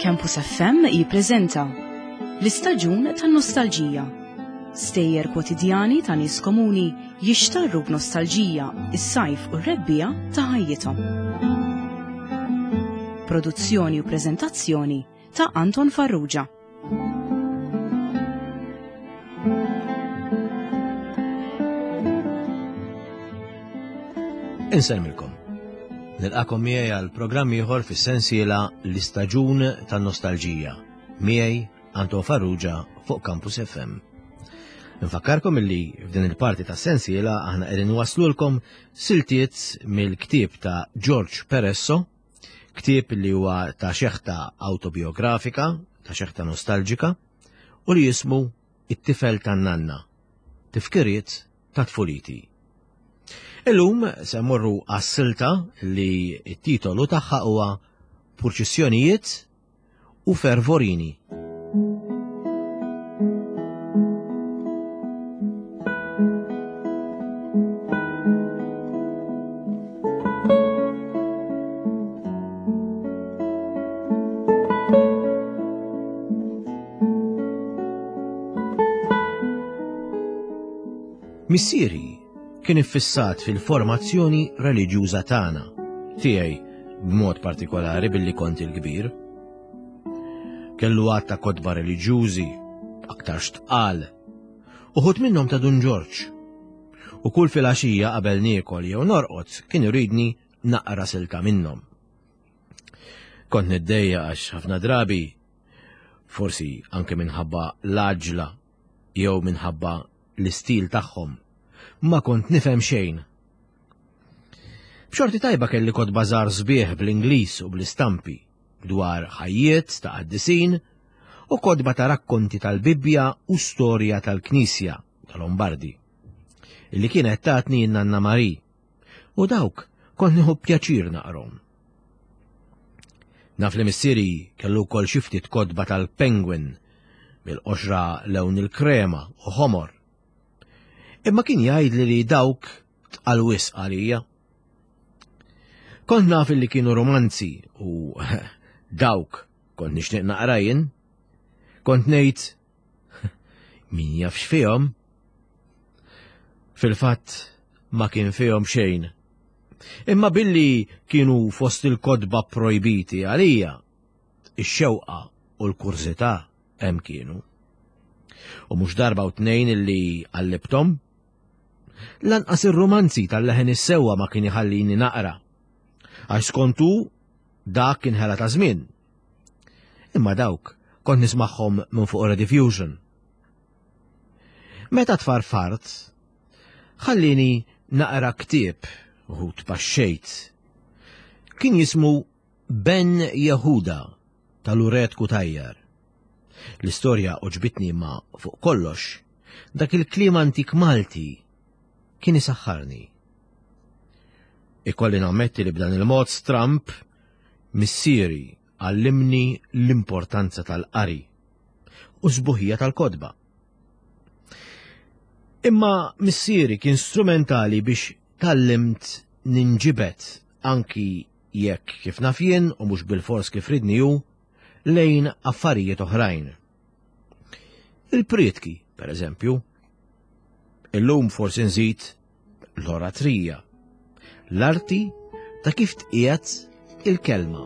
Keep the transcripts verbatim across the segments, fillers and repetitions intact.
Campus F M jippreżenta l-istaġun tan-nostalġija. Stejjer kwotidjani ta' nies komuni jixtarru b'nostalġija is-sajf u r-rebbiegħa ta' ħajjithom. Produzzjoni u preżentazzjoni ta' Anton Farrugia. Insellmilkom. Nilqagħkom miegħi għal programm ieħor fis-sensiela L-Istaġun tan-Nostalġija. Miegħi Anton Farrugia fuq Campus F M. Nfakkarkom illi f'din il-parti ta' sensiela aħna qegħdin waslulkom siltiet mill-ktieb ta' George Peresso, ktieb li huwa ta' xeħta autobiografika, ta' xeħta nostalġika, u li jismu It-tifel tan-nanna, tifkiriet ta' tfuliti. Illum se mmorru għas-silta li t-titolu tagħha huwa Purċissjonijiet u Fervorini. Missieri kien iffissat fil-formazzjoni reliġjuża tagħna, tiegħi b'mod partikolari billi kont il-kbir. Kellu għadd ta' kotba reliġjużi, aktar tqal, uħud minnhom ta' Dun Ġorġ. U kull filgħaxija qabel niekol jew norqod kien iridni naqra silta minnhom. Kont niddejjaq għax ħafna drabi, forsi anke minħabba l-għaġla jew minħabba l-istil tagħhom, ma kont nifhem xejn. B'xorti tajba kelli kotba żgħar sbieħ bl-Ingliż u bl-istampi dwar ħajjiet ta' qaddisin u kotba ta' rakkonti tal-Bibbja u storja tal-Knisja tal-Lombardi, illi kienet tatni n-nanna Mari, u dawk kont nieħu pjaċir naqrahom. Naf li missieri kellu wkoll xi ftit kotba tal-Penguin bil-qoxra lewn il-krema u ħomor. Imma kien jgħidli li dawk tqal wisq għalija. Kont naf li kienu romanzi u dawk kont nixtieq naqra jien. Kont ngħid min jaf x'fihom. Fil-fatt ma kien fihom xejn. Imma billi kienu fost il-kotba projbiti għalija, ix-xewqa u l-kurżità hemm kienu. U mhux darba u tnejn illi qallibthom. Lanqas ir-romanzi tal-leħen is-sewwa ma kien iħallini naqra. Għax skontu dak kien ħela ta' żmien. Imma dawk kont nismagħhom minn fuq Rediffusion. Meta tfarfart, ħallini naqra ktieb u tpaxxejt. Kien jismu Ben Jehuda tal-Uret Kutajjar. L-istorja għoġbitni, ma fuq kollox, dak il-kliem antik Malti kien isaħħarni. Ikolli nammetti li b'dan il-mod stramp missieri għallimni l-importanza tal-qari u sbuħija tal-kotba. Imma missieri kien strumentali biex tgħallimt ninġibed, anki jekk kif naf jien u mhux bil-fors kif ridni hu, lejn affarijiet oħrajn. Il-prietki, per eżempju. Illum forsi nżid l-oratrija, l-arti ta' kif tqiegħed il-kelma.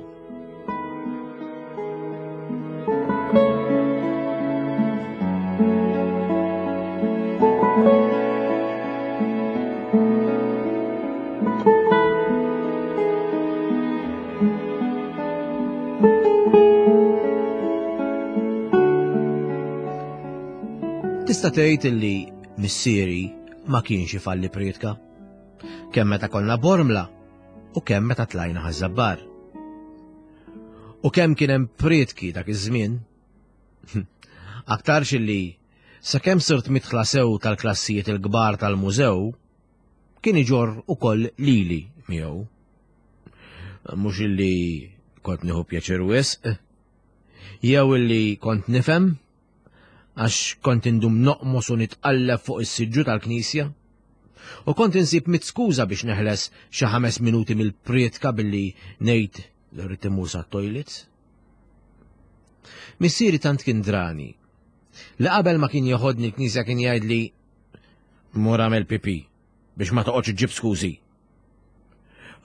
Tista' tgħid illi missieri ma kienx ifalli prietka. Kemm meta konna Bormla u kemm meta tlajna Ħaż-Żabbar. U kemm kien hemm prietki dak iż-żmien. Aktarx illi sakemm sirt midħla sew tal-klassijiet il-kbar tal-mużew, kien iġorr ukoll lili miegħu. Mhux illi kont nieħu pjaċir wisq, jew illi kont nifhem, għax kont indum noqmos u nitqalleb fuq is-siġġu tal-knisja. U kont insib mitt skuża biex neħles xi ħames minuti mill-prietka billi ngħid li rrid immur sat-toilets. Missieri tant kien drani li qabel ma kien joħodni l-knisja kien jgħidli mur għamel pipi biex ma toqgħodx iġġib skużi.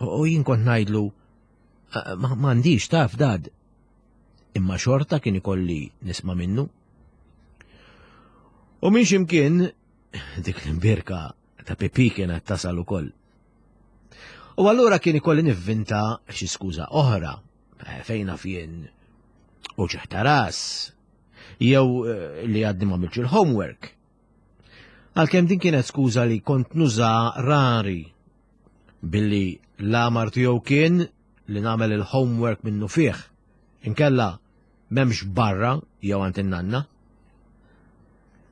U jien kont ngħidlu m'għandix taf dad. Imma xorta kien ikolli nisma' minnu. U minn x'imkien dik l-imbierka ta' pipi kienet tasal ukoll. U allura kien ikolli nivvinta xi skuża oħra fejn naf jien u ċeħta ras jew li għadni ma għamiltx il-homework. Għalkemm din kienet skuża li kont nuża rari billi l-amar tiegħu kien li nagħmel il-homework minnu fih. Inkella m'hemmx barra jew għand in-nanna.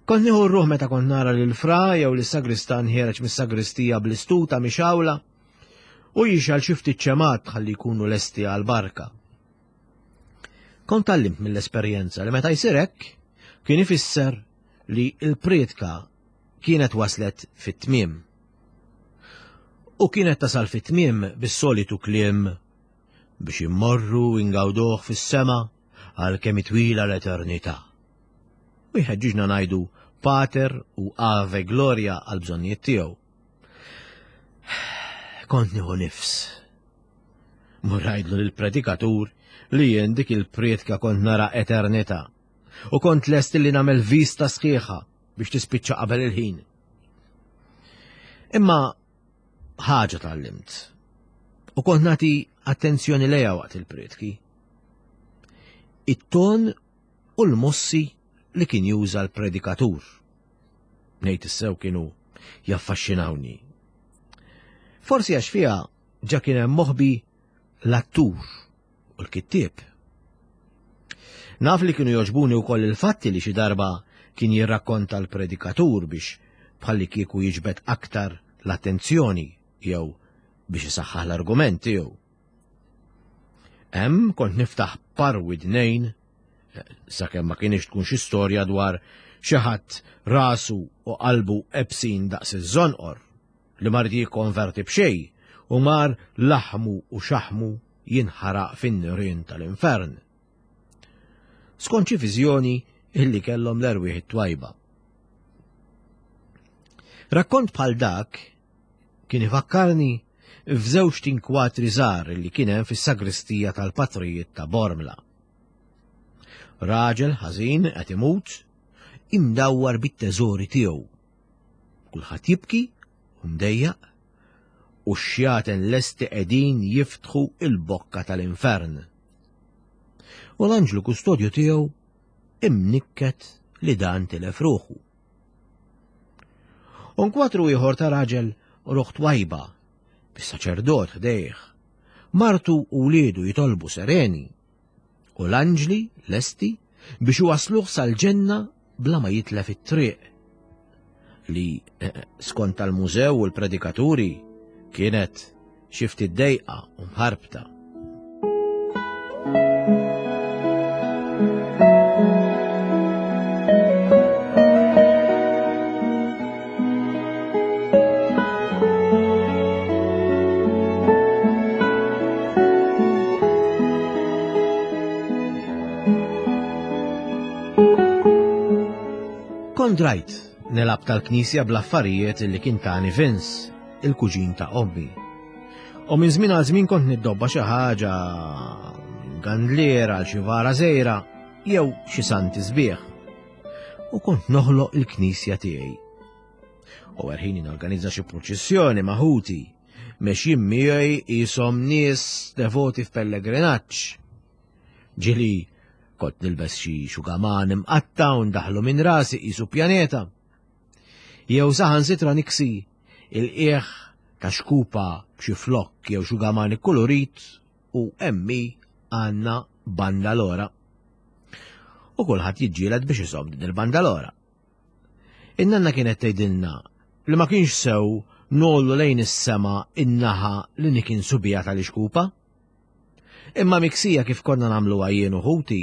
Kont nieħu r-ruħ meta kont nara lil fra jew lis-sagristan ħiereġ mis-sagristija bl-istuta mixawla u jixgħal xi ftit ċemat ħalli jkunu lesti għall-barka. Kont tgħallimt mill-esperjenza li meta jsir hekk kien ifisser li l-prietka kienet waslet fit-tmiem. U kienet tasal fit-tmiem bis-solitu kliem biex immorru ingawduh fis-sema għal kemm twila l-eternità. U jħeġġiġna ngħidu Pater u Ave Gloria għal bżonnijiet tiegħu. Kont nieħu nifs. Mur ngħidlu lill-predikatur li jien dik il-prietka kont nara eternità u kont lest li nagħmel vista sħiħa biex tispiċċa qabel il-ħin. Imma ħaġa tgħallimt u kont nagħti attenzjoni lejha waqt il-prietki. It-ton u l-mossi li kien juża l-predikatur. Ngħid issew kienu jaffaxxinawni. Forsi għax fiha ġa kien hemm moħbi l-attur u l-kittieb. Naf li kienu jogħġbuni wkoll il-fatti li xi darba kien jirrakkonta l-predikatur biex bħalli kieku jiġbed aktar l-attenzjoni jew biex isaħħaħ l-argument tiegħu. Hemm kont niftaħ par widnejn sakemm ma kienx tkun xi storja dwar xi ħadd rasu u qalbu ebsin daqs iż-żonqor li mar jikkonverti b'xejn u mar laħmu u xaħmu jinħaraq fin-nirien tal-infern. Skont xi viżjoni illi kellhom l-erwieħ it-twajba. Rakkont bħal dak kien ifakkarni f'żewġ tinkwatri żgħar li kien hemm fis-sagristija tal-patrijiet ta' Bormla. Raġel ħażin qed imut imdawwar bit-teżori tiegħu. Kulħadd jibki u mdejjaq u x-xjaten lesti qegħdin jiftħu il-bokka tal-infern. U l-anġlu kustodju tiegħu imnikket li dan tilef ruħu. U nkwatru ieħor ta' raġel ruħ twajba, bis-saċerdot ħdejh, martu u wliedu jitolbu sereni, u l-anġli lesti biex iwasluh sal-ġenna bla ma jitlef it-triq li skont tal-mużew u l-predikaturi kienet xi ftit dejqa u mħarbta. Kont rajt nilgħab tal-knisja bl-affarijiet li kien tani Vince, il-kuġin ta' ommi. U minn żmien għal żmien kont niddobba xi ħaġa gandliera għal xi vara żgħira jew xi santi sbieħ. U kont noħloq il-knisja tiegħi. U erħini norganizza xi purċissjoni ma' ħuti, mexjin miegħi qishom nies devoti f'pellegrinaġġ. Ġieli kont nilbes xi xugaman imqatta' u ndaħlu minn rasi qisu pjaneta. Jew saħansitra niksi il-qiegħ ta' xkupa b'xi flokk jew xugaman ikkulurit u emmi għandna bandalora. U kulħadd jiġġieled biex iżomm din il-bandalora. In-nanna kienet tgħidilna li ma kienx sew nollu lejn is-sema in-naħa li nikinsu biha tal-ixkupa. Imma miksija kif konna nagħmlu jien u ħuti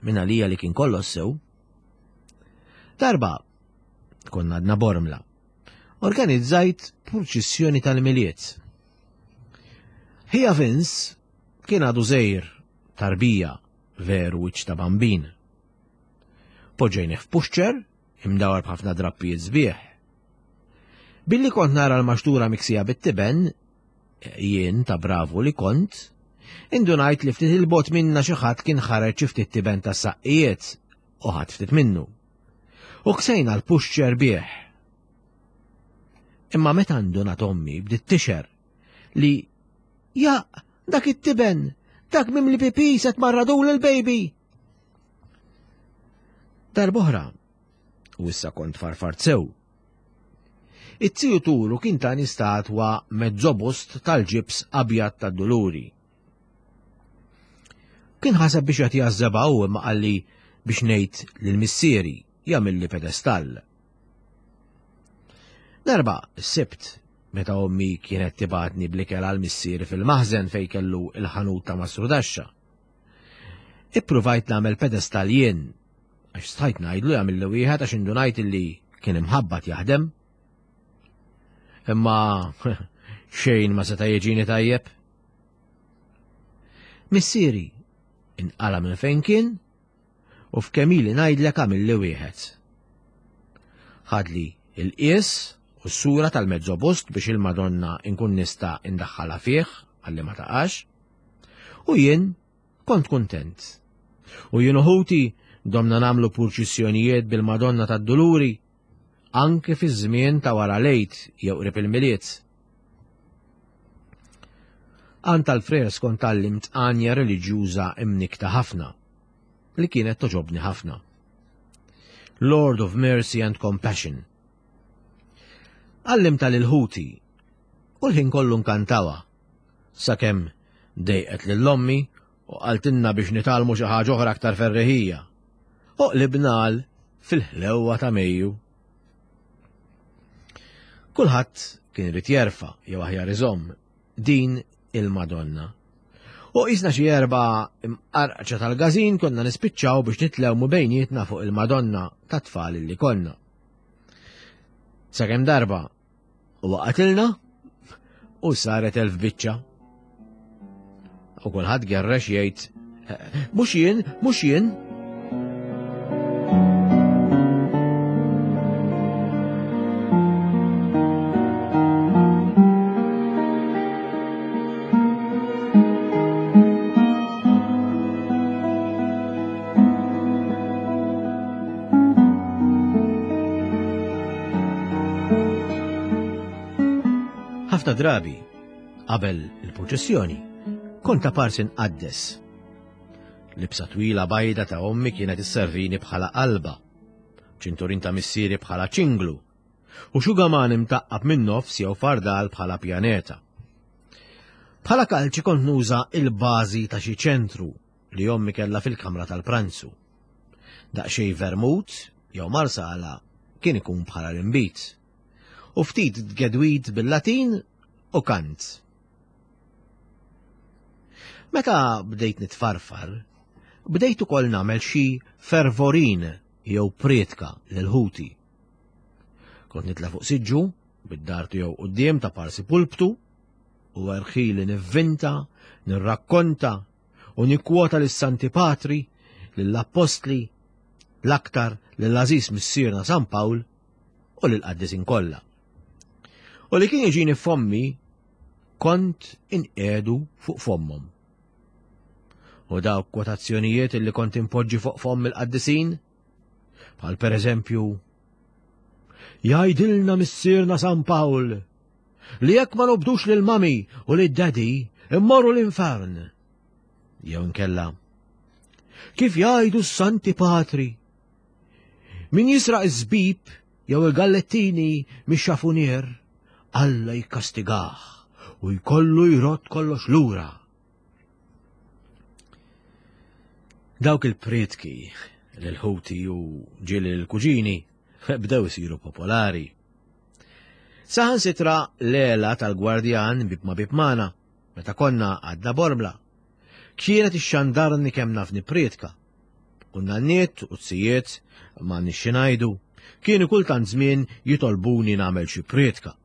minn għalija li kien kollox sew. Darba konna għadna Bormla. Organizzajt purċissjoni tal-Milied. Ħija Vince kien għadu żgħir tarbija Veru wiċċ ta' bambin. Poġġejnieh f'puxċer, imdawar b'ħafna drappijiet sbieħ. Billi kont nara l-maxtura miksija bit-tiben, jien ta' bravu li kont, indunajt li ftit il-bot minna xi ħadd kien ħareġ xi ftit tiben ta' saqqijiet u ħadd ftit minnu. U ksejna l-puxċer bih. Imma meta ndunat ommi bdiet tixer li ja dak it-tiben, dak mimli pipi se tmarradul il-baby. Darb'oħra, u issa kont farfart sew. It-tiju Turu kien tani statwa mezzobust tal-ġibs abjad tad-Duluri. Kien ħaseb biex jagħtiha ż-żebgħa hu imma qalli biex ngħid lil missieri jagħmilli pedestall. Darba, s-Sibt, meta ommi kienet tibatni bl-ikel għal missieri fil-maħżen fejn kellu il-ħanut ta' Mastrudaxxa. Ippruvajt nagħmel pedestall jien, għax stajt ngħidlu jagħmilli wieħed għax indunajt illi kien imħabbat jaħdem. Imma xejn ma seta' jiġini tajjeb. Missieri inqala minn fejn kien u f'kemm ili ngħidlek għamilli wieħed. Ħadli il-qies u s-sura tal-mezzobust biex il-Madonna inkun nista' indaħħalha fih għalli ma taqax. U jien kont kuntent. U jien u ħuti domna nagħmlu purċissjonijiet bil-Madonna tad-Duluri anke fi żmien ta' wara l-Għid jew qrib il-Milied. Għand tal-frers kont tgħallimt għanja reliġjuża imnikta ħafna, li kienet toġobni ħafna. Lord of Mercy and Compassion. Għallimtha lil ħuti u l-ħin kollu nkantawa, sakemm dejqet lil ommi u qaltilna biex nitgħallmu xi ħaġa oħra aktar ferreħija. U qlibna għal fil-ħlewwa ta' Mejju. Kulħadd kien irid jerfa' jew aħjar iżomm din il-Madonna. U qisna xi erba' imqarqċa tal-gażin konna nispiċċaw biex nitlewmu bejnietna fuq il-Madonna ta' tfal li konna. Sakemm darba u waqatilna u saret elf biċċa. U kulħadd gerrex jgħid, mhux jien, mhux jien. Ħafna drabi, qabel il-purċissjoni, kont apparsi nqaddes. Libsa twila bajda ta' ommi kienet isservini bħala qalba, ċinturin ta' missieri bħala ċinglu, u xugaman imtaqqab minn nofs jew fardal bħala pjaneta. Bħala kalċi kont nuża il-bażi ta' xi ċentru li ommi kellha fil-kamra tal-pranzu. Daqsxejn vermut jew marsala kien ikun bħala l-imbit. U ftit tgedwid bil-Latin u kant. Meta bdejt nitfarfar, bdejt ukoll nagħmel xi fervorin jew prietka lil ħuti. Kont nitla' fuq siġġu bid-dar tiegħu quddiem ta' parsi pulptu u erħili nivvinta, nirrakkonta u nikkwota lis-Santi Patri, lill-Appostli, l-aktar lill-għażiż missierna San Pawl u lill-qaddisin kollha. U li kien jiġini fommi kont inqedu fuq fommhom. U dawk kwotazzjonijiet illi kont impoġġi fuq fomm il-qaddisin, bħal per eżempju, jgħidilna missierna San Pawl li jekk ma nobdux lil mami u lil daddy immorru l-infern. Jew inkella, kif jgħidu s-Santi Patri, min jisraq iż-żbib jew il-gallettini mix-xafunier, Alla jikkastigah u jkollu jrott kollox lura. Dawk il-prietki lil-ħuti u ġieli l-kuġini bdew isiru popolari. Saħansitra l-għela tal-gwardjan bib ma bib magħna, meta konna għadna Bormla, kienet ixxandarni kemm naf nipprietka. U n-nanniet u t-sijiet ma nixxi ngħidu, kienu kultant żmien jitolbuni nagħmel xi prietka.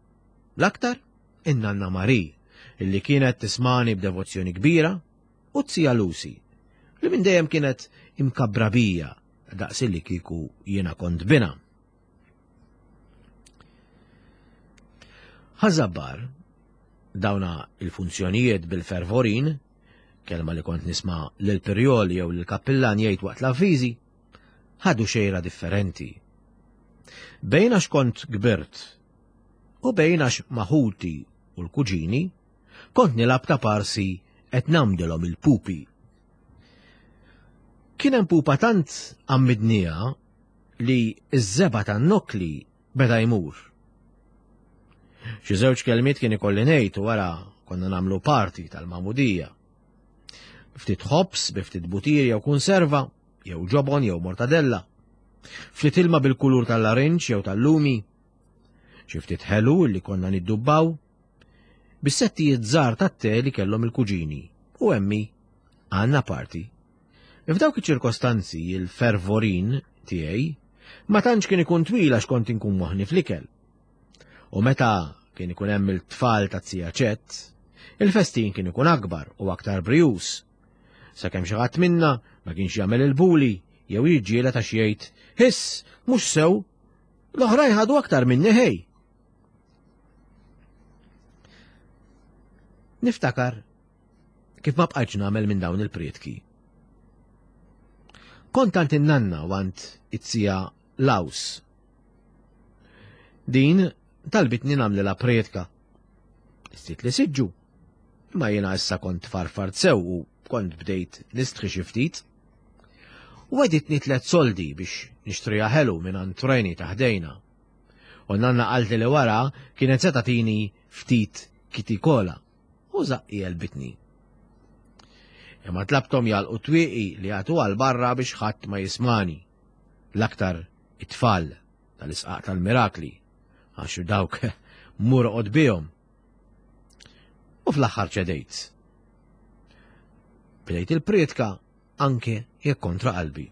L-aktar in-nanna Mari, illi kienet tismani b'devozzjoni kbira, u t-sija Lucy, li minn dejjem kienet imkabbra bija daqs li kieku jiena kont bina. Ħaż-Żabbar, dawna il-funzjonijiet bil-fervorin, kelma li kont nisma' lil Pirjol jew lil kappillan jgħid waqt l-avviżi, ħadu xejra differenti. Bejn għax kont kbirt u bejn għax maħuti u l-kuġini kont nilgħab ta' parsi qed nagħmdilhom il-pupi. Kien hemm pupa tant għammidniha li ż-żebgħa tan-nokkli beda jmur. Xi żewġ kelmiet kien ikolli ngħid u wara konna nagħmlu parti tal-magħmudija. Ftit ħobż bi ftit butir jew kunserva, jew ġobon jew mortadella. Ftit ilma bil-kulur tal-larinġ jew tal-lumi. Xi ftit ħelu li konna niddubbaw. Bis-settijiet żgħar tat-te li kellhom il-kuġini u emmi għandna parti. F'dawk iċ-ċirkostanzi il-fervorin tiegħi ma tantx kien ikun twil għax kont inkun moħni fl-ikel. U meta kien ikun hemm il-tfal ta' zija Ċett, il-festin kien ikun akbar u aktar brijuż. Sakemm xi ħadd minna ma kienx jagħmel il-buli jew jiġġieled għax jgħid, "Hiss, mhux sew, l-oħrajn ħadu aktar minni ħej." Niftakar kif ma bqajtx nagħmel minn dawn il-prietki. Kont għand in-nanna u għand it-zija Laws. Din talbitni nagħmlilha prietka. Istit li siġġu. Imma jiena issa kont farfart sew u kont bdejt nistħi xi ftit. U għeditni tliet soldi biex nixtriha ħelu minn għand Treni ta' ħdejna. U nanna qaltli li wara kienet se tagħtini ftit kitikola u żaqqi għelbitni. Imma tlabthom jagħlqu twieqi li jagħtu għal barra biex ħadd ma jismani. L-aktar it-tfal tal-isqaq tal-mirakli, għax dawk mur oqgħod bihom. U fl-aħħar ċedejt. Bdejt il-prietka anke jekk kontra qalbi.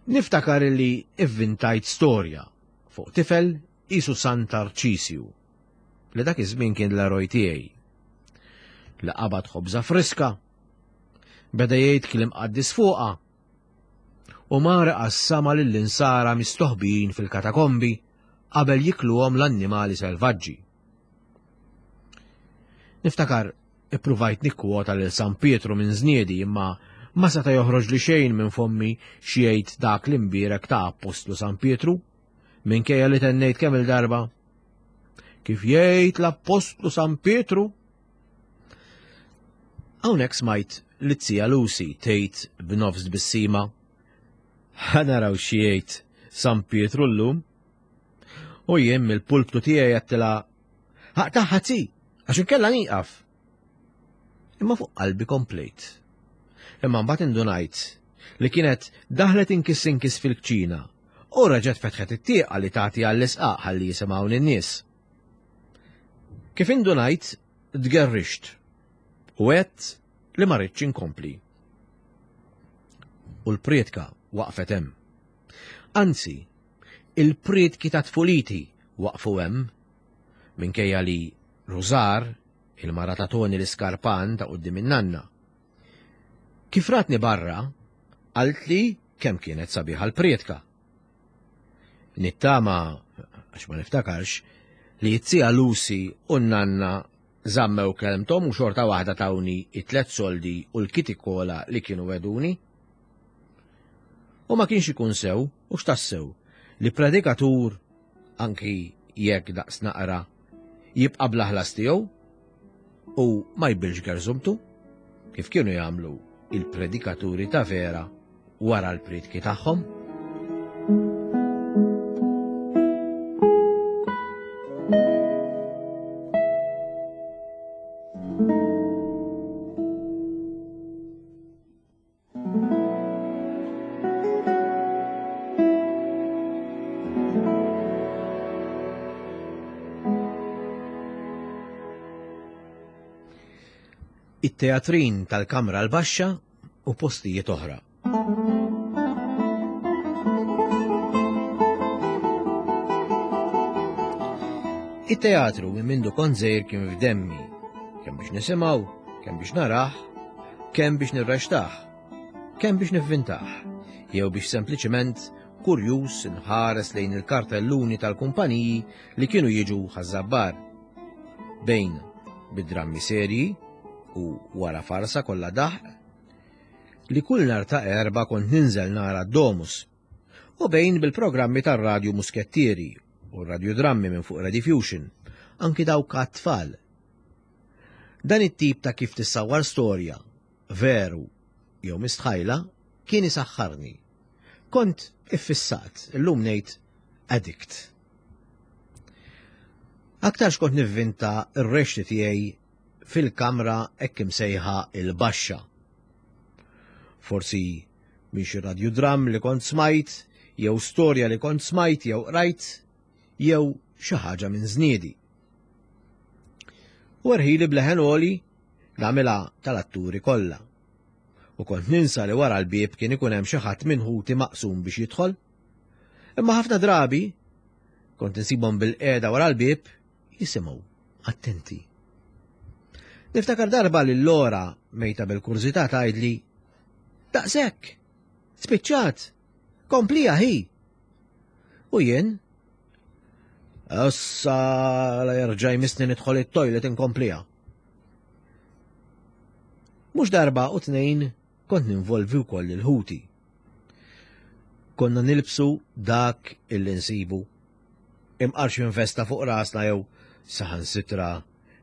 Niftakar li ivvintajt storja fuq tifel isu San Tarċisju, li dak iż-żmien kien l-eroj tiegħi. Li qabad ħobża friska, beda jgħid kliem qaddis fuqha, u mar qassama lill-insara mistoħbijin fil-katakombi qabel jikluhom l-annimali selvaġġi. Niftakar ippruvajt nikkwota lil San Pietru minn żniedi imma ma seta' joħroġ li xejn minn fommi xi jgħid dak l-imbierek ta' Appostlu San Pietru, minkejja li tennejt kemm il-darba. Kif jgħid l-Appostlu San Pietru? Hawnhekk smajt li t-zija Lucy tgħid b'nofs tbissima, Ħa naraw xi jgħid San Pietru llum. U jien mill-pulptu tiegħi għedtilha, Ħaqtaħħa zi, għax inkella nieqaf. Imma fuq qalbi komplejt. Imma mbagħad indunajt li kienet daħlet inkiss inkiss fil-kċina u reġgħet fetħet it-tieqa li tagħti għall-isqaq ħalli jisimgħu n-nies. Kif indunajt, tgerrixt u għedt li ma rridx inkompli. U l-prietka waqfet hemm. Anzi, il-prietki ta' tfuliti waqfu hemm, minkejja li Rużar, il-mara ta' Toni l-iskarpan ta' quddiem in-nanna. Kif ratni barra, qaltli kemm kienet sabiħa l-prietka. Nittama, għax ma niftakarx, li t-zija Lucy u n-nanna żammew kelmthom u xorta waħda tawni it-tlet soldi u l-kitikola li kienu weduni. U ma kienx ikun sew, u x'tassew, li predikatur, anki jekk daqs naqra, jibqa' bla ħlas tiegħu u ma jbilx gerzumtu, kif kienu jagħmlu il-predikaturi ta' vera wara l-prietki tagħhom. It-teatrin tal-Kamra l-Baxxa u postijiet oħra. It-teatru minn mindu kont żgħir kien f'demmi, kemm biex nisimgħu, kemm biex narah, Kemm biex nirrextah, kemm biex nivvintah, jew biex sempliċement kurjuż nħares lejn il-kartelluni tal-kumpaniji li kienu jiġu Ħaż-Żabbar. Bejn bid-drammi serji u wara farsa kollha daħq, li kull nhar ta' Erbgħa kont ninżel nara d-Domus, u bejn bil-programmi tar-radju Muskettieri u radiodrammi minn fuq Rediffusion, anki dawk għat-tfal. Dan it-tip ta' kif tissawwar storja, veru jew mistħajla, kien isaħħarni. Kont iffissat, illum ngħid addict. Aktarx kont nivvinta r-rexti tiegħi fil-kamra hekk imsejħa il-baxxa. Forsi minn xi radiodram li kont smajt, jew storja li kont smajt jew qrajt, jew xi ħaġa minn żniedi. U erħili bleħen għoli nagħmilha tal-atturi kollha. U kont ninsa li wara l-bieb kien ikun hemm xi ħadd minn ħuti maqsum biex jidħol. Imma ħafna drabi kont insibhom bil-qiegħda wara l-bieb jisimgħu attenti. Niftakar darba li l-Lora mejta bil-kurżità tgħidli daqshekk, spiċċat, komplija hi. U jien issa la jerġa' jmissni nidħol it-toilet inkomplija. Mhux darba u tnejn kont ninvolvi wkoll il-ħuti. Konna nilbsu dak illi nsibu. Imqar xi infesta fuq rasna jew saħansitra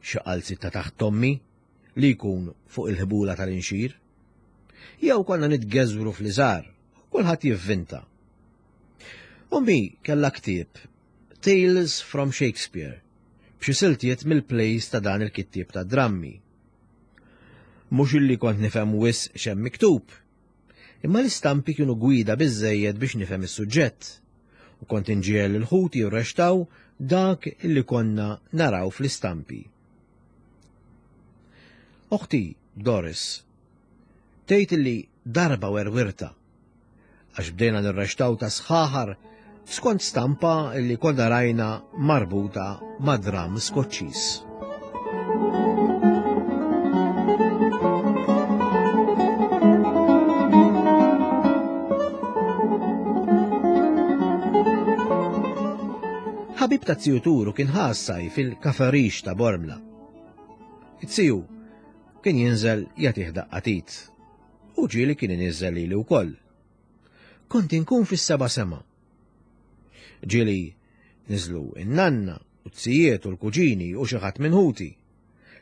xi qalzi ta' taħt tommi li jkun fuq il-ħbula tal-inxir. Jew konna nitgeżwru fl-iżgħar, kulħadd jivvinta. Ommi kellha ktieb Tales from Shakespeare, b'xi siltiet mill-plays ta' dan il-kittieb ta' drammi. Mhux illi kont nifhem wisq x'hemm miktub, imma l-istampi kienu gwida biżżejjed biex nifhem is-suġġett, u kont inġiegħel il-ħuti jirrextaw dak illi konna naraw fl-istampi. Oħti Doris tgħid illi darba werwirta għax bdejna nirrextaw ta' sħaħar skont stampa li konna rajna marbuta ma' dram Skoċċiż. Ħabib ta' ziju Turu kien ħassaj fil-kaferix ta' Bormla. It-ziju kien jinżel jagħtih daqqatit u ġieli kien iniżel lili wkoll. Kont inkun fis-seba' sema. Ġieli niżlu in-nanna u t-sijiet u l-kuġini u xi ħadd minn ħuti.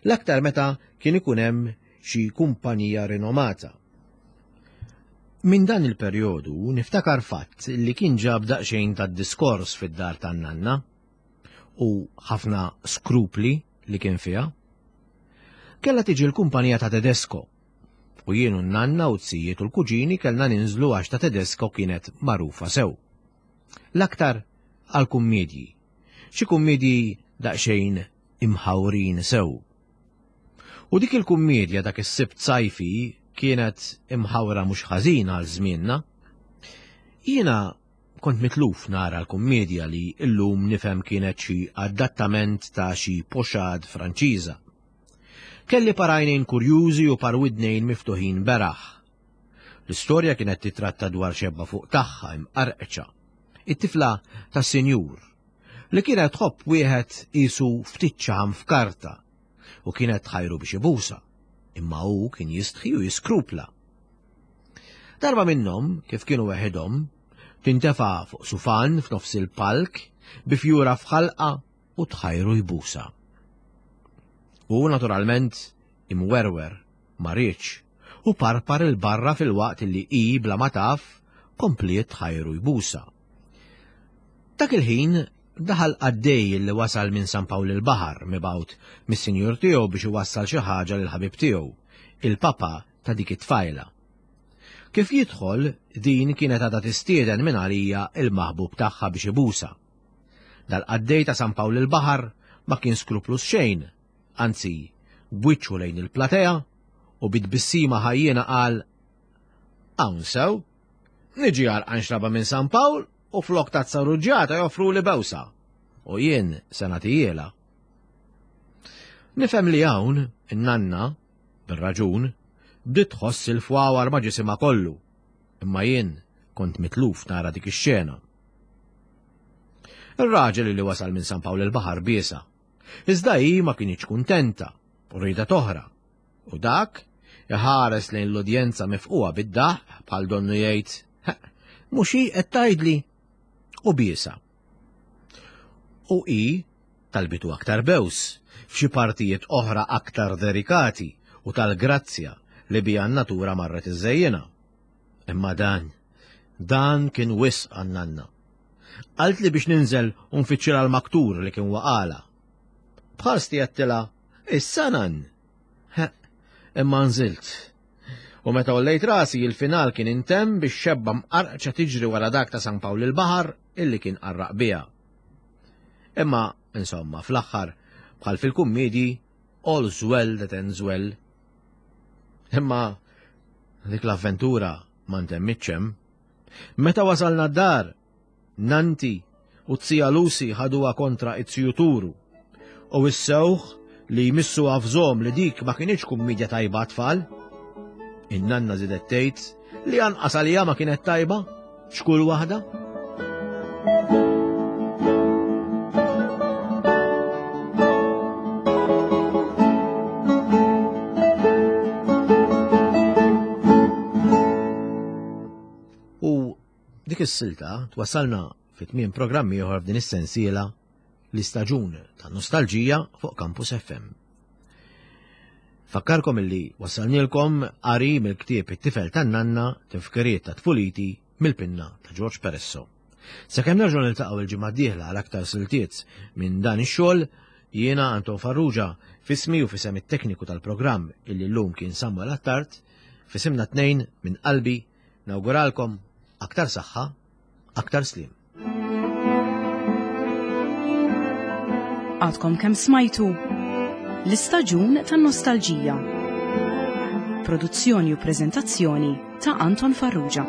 L-aktar meta kien ikun hemm xi kumpanija rinomata. Minn dan il-perjodu niftakar fatt li kien ġab daqsxejn tad-diskors fid-dar tan-nanna u ħafna skrupli li kien fiha. Kellha tiġi l-kumpanija ta' Tedesco u jien u n-nanna u t-sijiet u l-kuġini kellna ninżlu għax ta' Tedesco kienet magħrufa sew. L-aktar għal kummedji, xi kummedji daqsxejn imħawrin sew. U dik il-kummedja dak is-Sibt sajfi kienet imħawra mhux ħażin għal żmienna. Jiena kont mitluf nara l-kummedja li llum nifhem kienet xi adattament ta' xi poxad Franċiża. Kelli parajnejn kurjużi u par widnejn miftuħin beraħ. L-istorja kienet titratta dwar xebba fuq tagħha imqarqċa, it-tifla tas-sinjur, li kienet tħobb wieħed qisu ftit ċaħam f'karta u kienet tħajru biex ibusa, imma hu kien jistħi u jiskrupla. Darba minnhom, kif kienu weħidhom, tintefa' fuq sufan f'nofs il-palk bi fjura f'ħalqa u tħajru jbusa. U naturalment imwerwer ma riedx u parpar il-barra fil-waqt li hi bla ma taf kompliet tħajru jbusa. Dak il-ħin daħal qaddej li wasal minn San Pawl il-Baħar mibgħut mis-sinjur tiegħu biex iwassal xi ħaġa lil ħabib tiegħu, il-papa ta' dik it-tfajla. Kif jidħol, din kienet għadha tistieden minn għalija il-maħbub tagħha biex ibusa. Dal-qaddej ta' San Pawl il-Baħar ma kien skruplus xejn, anzi b'wiċċu lejn il-platea u bit-tbissima ħajjiena qal hawn sew, niġi għarqan xraba minn San Pawl u flok tazza ruġġata joffru li bewsa u jien se nagħtijielha. Nifhem li hawn in-nanna, bir-raġun, bdiet tħoss il-fwawar ma' ġisimha kollu. Imma jien kont mitluf nara dik ix-xena. Ir-raġel li wasal minn San Pawl il-Baħar biesa. Iżda hi ma kinitx kuntenta u riedet oħra. U dak iħares lejn l-udjenza mifquha bid-daħq bħal donnu jgħid, mhux hi qed tgħidli u biesa. U hi talbitu aktar bews f'xi partijiet oħra aktar delikati u tal-grazzja li bija n-natura marret iżżejjinha. Imma dan, dan kien wisq għan-nanna. Qaltli biex ninżel u nfittxilha l-maktur li kien waqala. Bħalsti għedtilha, issa nan. Imma nżilt. U meta għollejt rasi il-final kien intemm biex xebba mqarqċa tiġri wara dak ta' San Pawl il-Baħar illi kien qarraq biha. Imma, insomma, fl-aħħar, bħal fil-kummedji, all's well that ends well. Imma dik l-avventura ma ntemmitx hemm. Meta wasalna d-dar, Nanti u t-zija Lucy ħaduha kontra it-ziju Turu. U wissewh li jmissu għafżom li dik ma kinitx kummedja tajba tfal. In-nanna żiedet tgħid li anqas għalija ma kienet tajba, x'kull waħda. U dik is-silta twassalna fi tmiem programm ieħor f'din is-sensiela l-istaġun ta' nostalġija fuq Campus F M. Fakkarkom illi wassalnielkom qari mill-ktieb It-tifel tan-nanna tifkiriet ta' tfuliti mill-pinna ta' George Peresso. Sakemm nerġgħu niltaqgħu il-ġimgħa d-dieħla għal aktar siltiet minn dan ix-xogħol, jiena Anton Farrugia fismi u fisem it-tekniku tal-programm illi llum kien Samuel Attard, fisimna tnejn minn qalbi nawguralkom aktar saħħa, aktar sliem. Għadkom kemm smajtu l-istaġun tan-nostalġija. Produzzjoni u preżentazzjoni ta' Anton Farrugia.